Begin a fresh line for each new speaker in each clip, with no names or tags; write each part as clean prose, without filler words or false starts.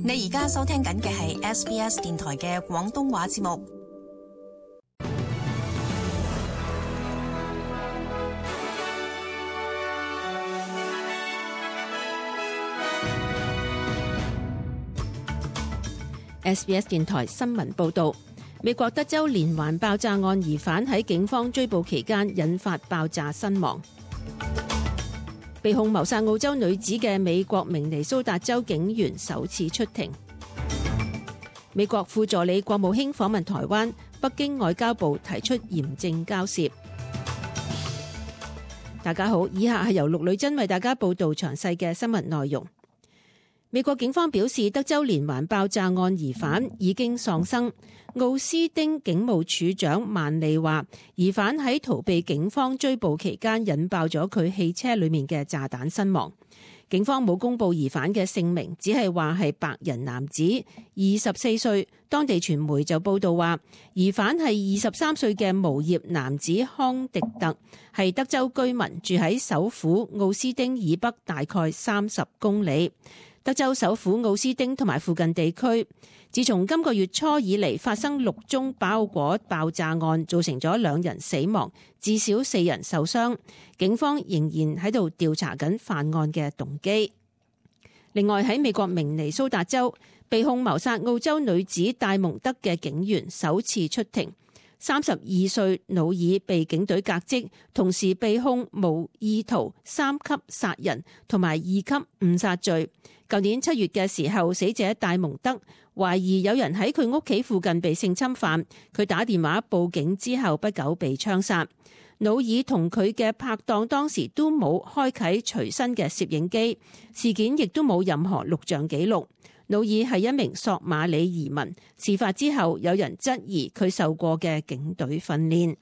你而家收聽緊嘅係 SBS 電台嘅廣東話節目。
SBS 電台新聞報導，美國德州連環爆炸案疑犯喺警方追捕期間引發爆炸身亡。被控謀殺澳洲女子嘅美國明尼蘇達州警員首次出庭。美國副助理國務卿訪問台灣，北京外交部提出嚴正交涉。大家好，以下係由陸女珍為大家報道詳細嘅新聞內容。美國警方表示，德州連環爆炸案疑犯已經喪生。奧斯丁警務處長曼利話，疑犯喺逃避警方追捕期間引爆咗佢汽車裏面嘅炸彈身亡。警方冇公布疑犯嘅姓名，只係話係白人男子，24歲。當地傳媒就報道話，疑犯係23歲嘅無業男子康迪特，係德州居民，住喺首府奧斯丁以北大概30公里。德州首府奧斯丁同埋附近地區，自從今個月初以嚟發生6宗包裹爆炸案，造成咗2人死亡，至少4人受傷。警方仍然喺度調查緊犯案嘅動機。另外喺美國明尼蘇達州，被控謀殺澳洲女子戴蒙德嘅警員首次出庭。32歲努爾被警隊革職，同時被控無意圖3級殺人同埋2級誤殺罪。舊年7月嘅時候，死者戴蒙德懷疑有人喺佢屋企附近被性侵犯，佢打電話報警之後不久被槍殺。努爾同佢嘅拍檔當時都冇開啟隨身嘅攝影機，事件亦都冇任何錄像記錄。努爾係一名索馬里移民，事發之後有人質疑佢受過嘅警隊訓練。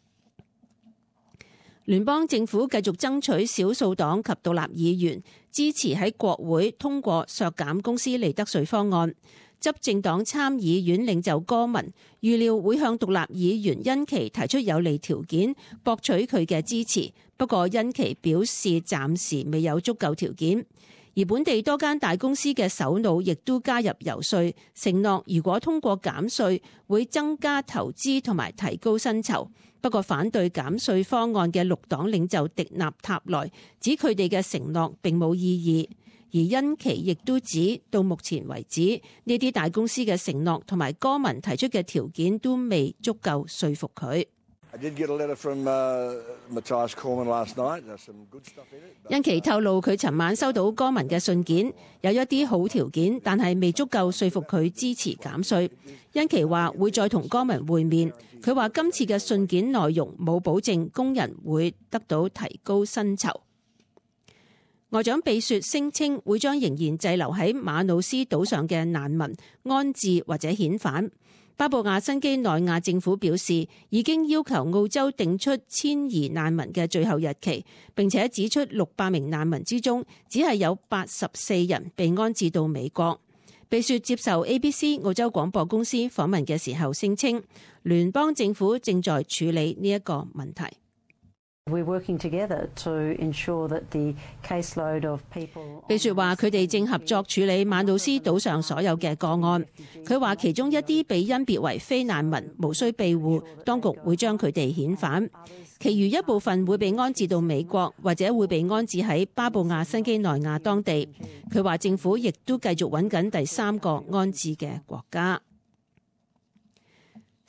聯邦政府繼續爭取少數黨及獨立議員支持喺國會通過削減公司利得稅方案。執政黨參議院領袖戈文預料會向獨立議員恩琪提出有利條件，博取佢嘅支持。不過恩琪表示暫時未有足夠條件。而本地多間大公司嘅首腦亦都加入游說，承諾如果通過減稅，會增加投資同埋提高薪酬。不過反對減稅方案嘅綠黨領袖迪納塔萊指佢哋嘅承諾並冇意義。而恩琪亦都指到目前為止，呢啲大公司嘅承諾同埋戈文提出嘅條件都未足夠說服佢。恩琪透露佢尋晚收到戈文嘅信件，有一啲好條件，但係未足夠說服佢支持減稅。恩琪話會再同戈文會面。佢話今次嘅信件內容冇保證工人會得到提高薪酬。外長比雪聲稱會將仍然滯留喺馬努斯島上嘅難民安置或者遣返。巴布亞新畿內亞政府表示，已經要求澳洲定出遷移難民嘅最後日期，並且指出600名難民之中，只係有84人被安置到美國。比雪接受 ABC 澳洲廣播公司訪問嘅時候聲稱，聯邦政府正在處理呢一個問題。比雪話佢哋正合作處理馬努斯島上所有嘅個案。佢話其中一啲被甄別為非難民，無需庇護，當局會將佢哋遣返。其餘一部分會被安置到美國，或者會被安置喺巴布亞新畿內亞當地。佢話政府亦都繼續揾緊第3個安置嘅國家。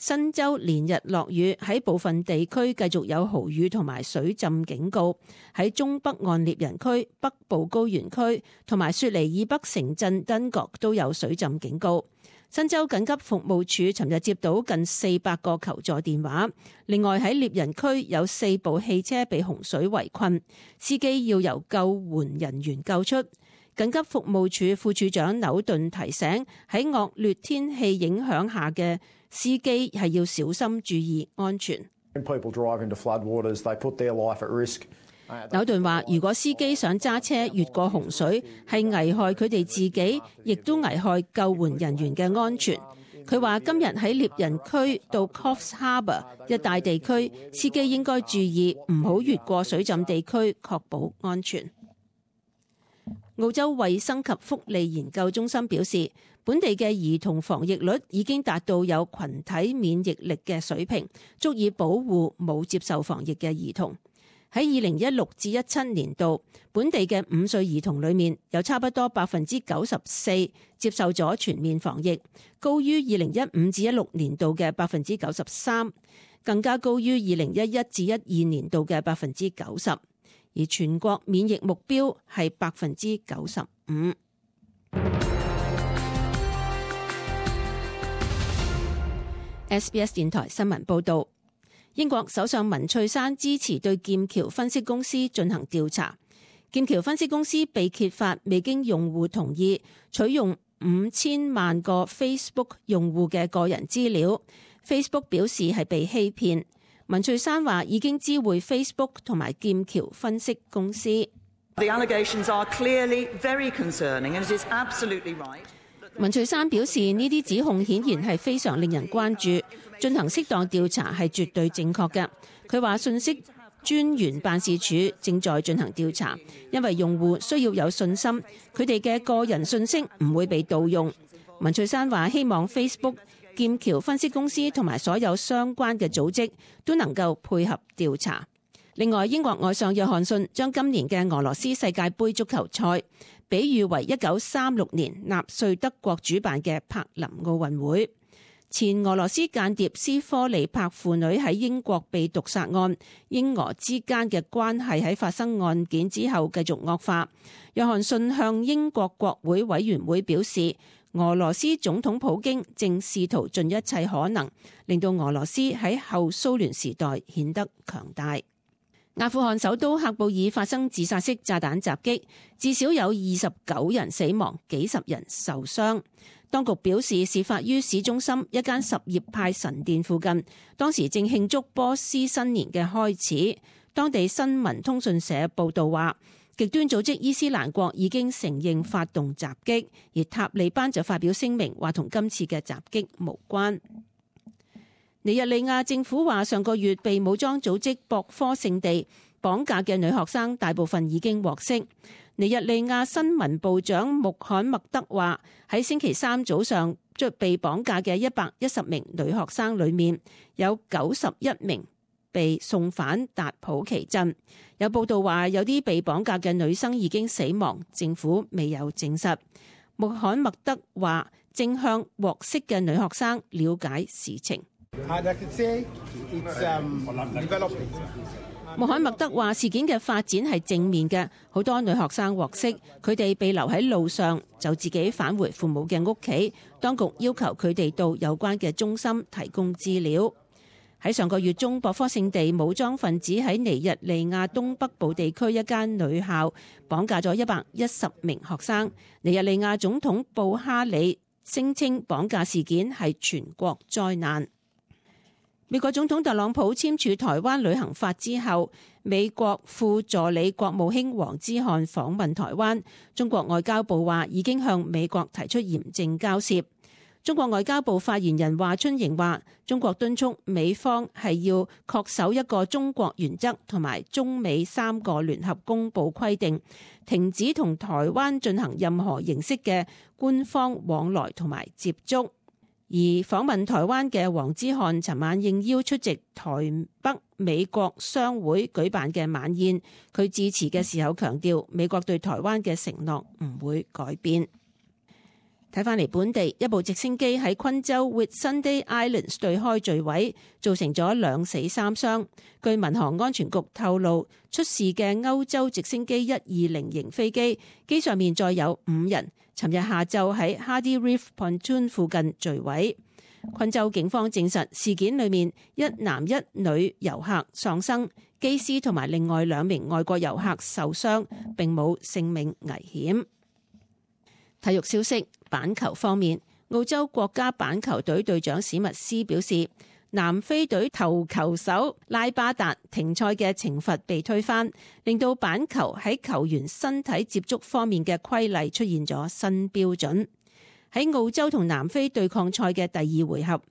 新州連日落雨，喺部分地區繼續有豪雨同埋水浸警告。喺中北岸獵人區、北部高原區同埋雪梨以北城鎮登角都有水浸警告。新州緊急服務處尋日接到近400個求助電話。另外喺獵人區有4部汽車被洪水圍困，司機要由救援人員救出。緊急服務處副處長紐頓提醒，喺惡劣天氣影響下嘅司機係要小心注意安全。紐頓話，如果司機想揸車越過洪水，係危害佢哋自己，亦都危害救援人員嘅安全。佢話今日喺獵人區到 Coffs Harbour 一帶地區，司機應該注意唔好越過水浸地區，確保安全。澳洲衛生及福利研究中心表示，本地嘅兒童防疫率已經達到有群體免疫力嘅水平，足以保護冇接受防疫嘅兒童。喺2016至17年度，本地嘅5歲兒童裏面有差不多94%接受咗全面防疫，高於2015至16年度嘅93%，更加高於2011至12年度嘅90%，而全國免疫目標係95%。SBS 電台新聞報導。英國首相文翠珊支持對劍橋分析公司進行調查。劍橋分析公司被揭發未經用戶同意取用5000萬個 Facebook 用戶嘅個人資料。Facebook 表示係被欺騙。文翠珊話已經知會 Facebook 同埋劍橋分析公司。
The allegations are clearly very concerning, and it is absolutely right.
文翠珊表示呢啲指控顯然係非常令人關注，進行適當調查係絕對正確嘅。佢話信息專員辦事處正在進行調查，因為用戶需要有信心，佢哋嘅個人信息唔會被盜用。文翠珊話希望 Facebook、劍橋分析公司同埋所有相關嘅組織都能夠配合調查。另外，英國外相約翰遜將今年嘅俄羅斯世界盃足球賽比喻為1936年納粹德國主辦嘅柏林奧運會。前俄羅斯間諜斯科尼柏父女喺英國被毒殺案，英俄之間嘅關係喺發生案件之後繼續惡化。約翰遜向英國國會委員會表示，俄羅斯總統普京正試圖盡一切可能，令到俄羅斯喺後蘇聯時代顯得強大。阿富汗首都喀布爾發生自殺式炸彈襲擊，至少有29人死亡，幾十人受傷。當局表示，事發於市中心一間什葉派神殿附近，當時正慶祝波斯新年嘅開始。當地新聞通訊社報道話，極端組織伊斯蘭國已經承認發動襲擊，而塔利班就發表聲明話同今次嘅襲擊無關。尼日利亞政府話，上個月被武裝組織博科聖地綁架嘅女學生大部分已經獲釋。尼日利亞新聞部長穆罕默德話，喺星期三早上被綁架嘅110名女學生裏面，有91名被送返達普奇鎮。有報道話，有啲被綁架嘅女生已經死亡，政府未有證實。穆罕默德話，正向獲釋嘅女學生了解事情。穆罕默德話，事件嘅發展係正面嘅，好多女學生獲釋，佢哋被留喺路上就自己返回父母嘅屋企，當局要求佢哋到有關嘅中心提供資料。喺上個月中，博科聖地武裝分子喺尼日利亞東北部地區一間女校綁架咗110名學生。尼日利亞總統布哈里聲稱綁架事件係全國災難。美國總統特朗普簽署台灣旅行法之後，美國副助理國務卿黃之漢訪問台灣。中國外交部話已經向美國提出嚴正交涉。中國外交部發言人華春瑩話，中國敦促美方係要恪守一個中國原則同埋中美3個聯合公報規定，停止同台灣進行任何形式嘅官方往來同埋接觸。而訪問台灣嘅黃之漢尋晚應邀出席台北美國商會舉辦嘅晚宴，佢致辭嘅時候強調，美國對台灣嘅承諾唔會改變。睇返嚟本地，一部直升機喺昆州 Whitsunday Islands 對開墜毀，造成咗2死3傷。據民航安全局透露，出事嘅歐洲直升機120型飛機，機上面載有5人，尋日下晝喺 Hardy Reef Pontoon 附近墜毀。昆州警方證實事件裏面1男1女遊客喪生，機師同埋另外2名外國遊客受傷，並冇性命危險。體育消息，板球方面，澳洲國家板球隊隊長史密斯表示，南非隊頭球手拉巴達停賽嘅懲罰被推翻，令到板球喺球員身體接觸方面嘅規例出現咗新標準。喺澳洲同南非對抗賽嘅第2回合，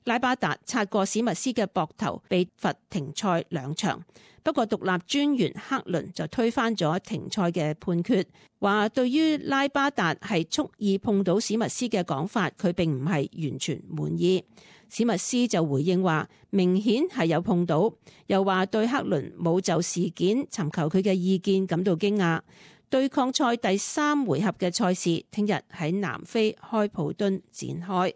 拉巴達擦過史密斯嘅膊頭，被罰停賽2場。不過獨立專員克倫就推翻咗停賽嘅判決，話對於拉巴達係蓄意碰到史密斯嘅講法，佢並唔係完全滿意。史密斯就回應話明顯係有碰到，又話對克倫冇就事件尋求佢嘅意見感到驚訝。對抗賽第3回合嘅賽事聽日喺南非開普敦展開。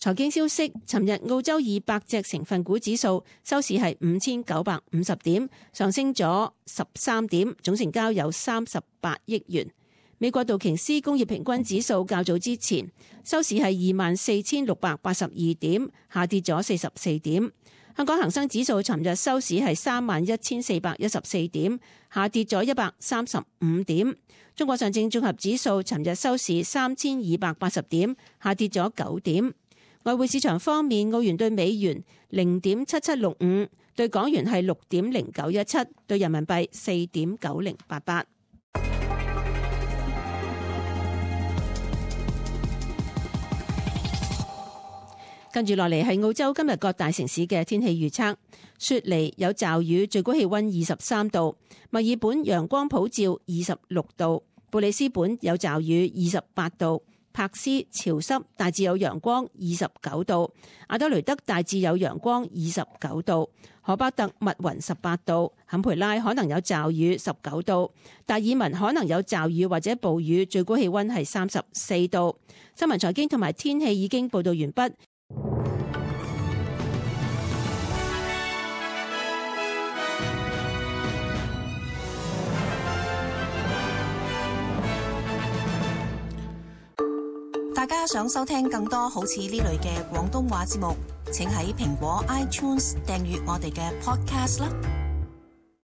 財經消息，尋日澳洲200隻成分股指數收市係5950點，上升咗13點，總成交有38億元。美國道瓊斯工業平均指數較早之前收市係24,682點，下跌咗44點。香港恒生指數尋日收市係31,414點，下跌咗135點。中國上證綜合指數尋日收市3,280點，下跌咗9點。外匯市場方面，澳元對美元0.7765，對港元係6.0917，對人民幣4.9088。跟住落嚟係澳洲今日各大城市嘅天氣預測：雪梨有驟雨，最高氣溫23度；墨爾本陽光普照26度；布里斯本有驟雨28度；柏斯潮濕，大致有陽光29度；阿德雷德大致有陽光29度；荷巴特密雲18度；坎培拉可能有驟雨19度；達爾文可能有驟雨或者暴雨，最高氣溫係34度。新聞財經同埋天氣已經報道完畢。
大家想收聽更多好似呢類嘅廣東話節目，請喺蘋果 iTunes 訂閱我哋嘅 Podcast 啦。